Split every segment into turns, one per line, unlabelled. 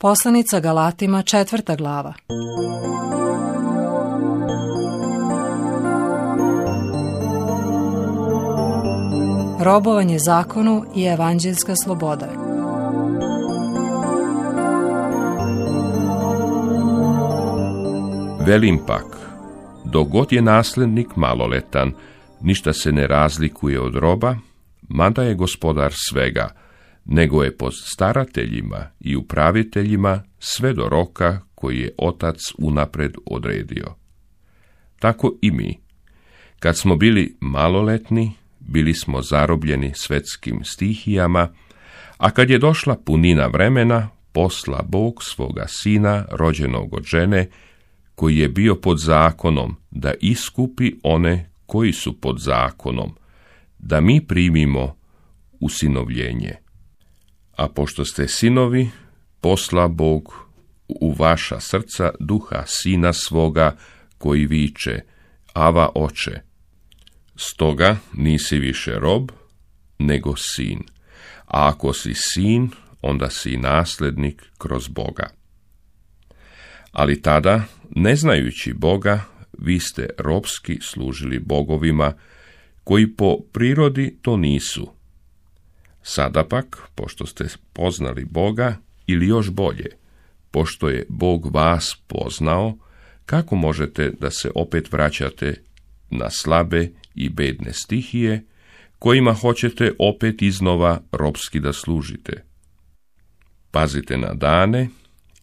Poslanica Galatima 4. glava. Robovanje zakonu i evanđeljska sloboda.
Velim pak, dok god je nasljednik maloletan, ništa se ne razlikuje od roba, mada je gospodar svega, nego je pod starateljima i upraviteljima sve do roka koji je otac unapred odredio. Tako i mi, kad smo bili maloletni, bili smo zarobljeni svetskim stihijama, a kad je došla punina vremena, posla Bog svoga sina, rođenog od žene, koji je bio pod zakonom, da iskupi one koji su pod zakonom, da mi primimo usinovljenje. A pošto ste sinovi, posla Bog u vaša srca duha sina svoga, koji viče, Ava, oče. Stoga nisi više rob, nego sin. A ako si sin, onda si nasljednik kroz Boga. Ali tada, ne znajući Boga, vi ste robski služili bogovima, koji po prirodi to nisu. Sada pak, pošto ste poznali Boga, ili još bolje, pošto je Bog vas poznao, kako možete da se opet vraćate na slabe i bedne stihije, kojima hoćete opet iznova robski da služite? Pazite na dane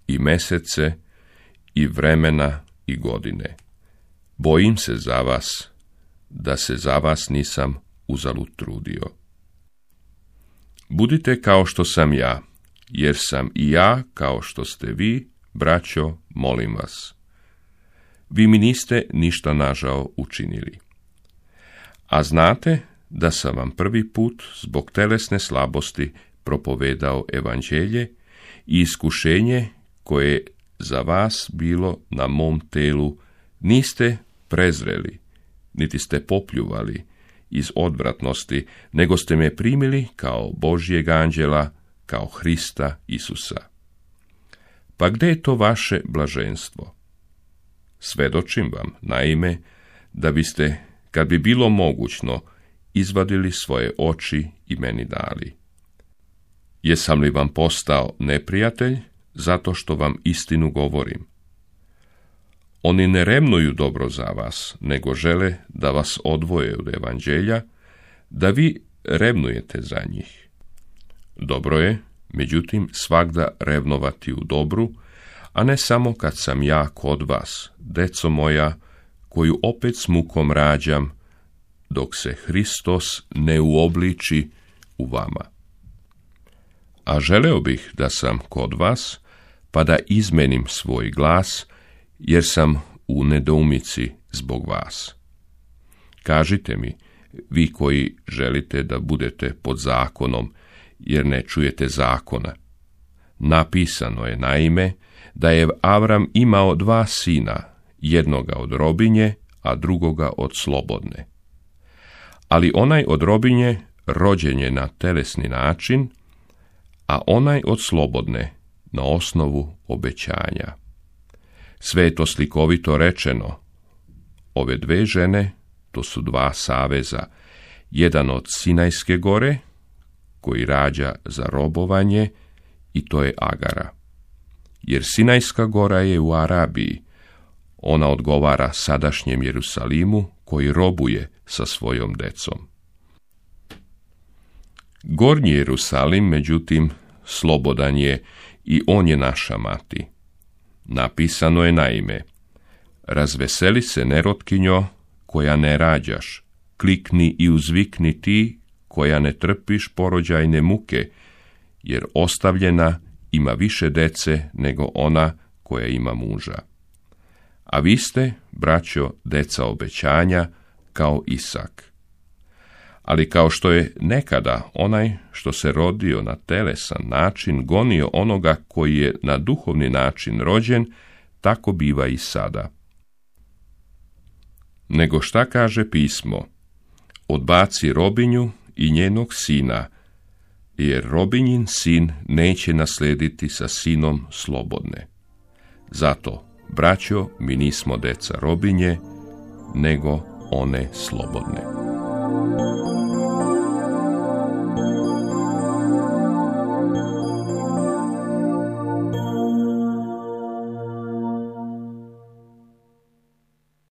i mesece i vremena i godine. Bojim se za vas, da se za vas nisam uzalud trudio. Budite kao što sam ja, jer sam i ja kao što ste vi, braćo, molim vas. Vi mi niste ništa nažao učinili. A znate da sam vam prvi put zbog telesne slabosti propovedao evanđelje i iskušenje koje je za vas bilo na mom telu, niste prezreli, niti ste popljuvali iz odvratnosti, nego ste me primili kao Božjeg anđela, kao Hrista Isusa. Pa gdje je to vaše blaženstvo? Svedočim vam, naime, da biste, kad bi bilo mogućno, izvadili svoje oči i meni dali. Jesam li vam postao neprijatelj, zato što vam istinu govorim? Oni ne revnuju dobro za vas, nego žele da vas odvoje od evanđelja, da vi revnujete za njih. Dobro je, međutim, svagda revnovati u dobru, a ne samo kad sam ja kod vas, deco moja, koju opet s mukom rađam, dok se Hristos ne uobliči u vama. A želeo bih da sam kod vas, pa da izmenim svoj glas, jer sam u nedoumici zbog vas. Kažite mi, vi koji želite da budete pod zakonom, jer ne čujete zakona. Napisano je, naime, da je Avram imao 2 sina, jednoga od robinje, a drugoga od slobodne. Ali onaj od robinje rođen je na telesni način, a onaj od slobodne na osnovu obećanja. Sve je to slikovito rečeno. Ove 2 žene, to su 2 saveza, jedan od Sinajske gore, koji rađa za robovanje, i to je Agara. Jer Sinajska gora je u Arabiji, ona odgovara sadašnjem Jerusalimu, koji robuje sa svojom decom. Gornji Jerusalim, međutim, slobodan je i on je naša mati. Napisano je, naime, razveseli se nerotkinjo, koja ne rađaš, klikni i uzvikni ti, koja ne trpiš porođajne muke, jer ostavljena ima više dece nego ona koja ima muža. A vi ste, braćo, deca obećanja, kao Isak. Ali kao što je nekada onaj što se rodio na telesan način gonio onoga koji je na duhovni način rođen, tako biva i sada. Nego šta kaže pismo? Odbaci robinju i njenog sina, jer robinjin sin neće naslediti sa sinom slobodne. Zato, braćo, mi nismo deca robinje, nego one slobodne.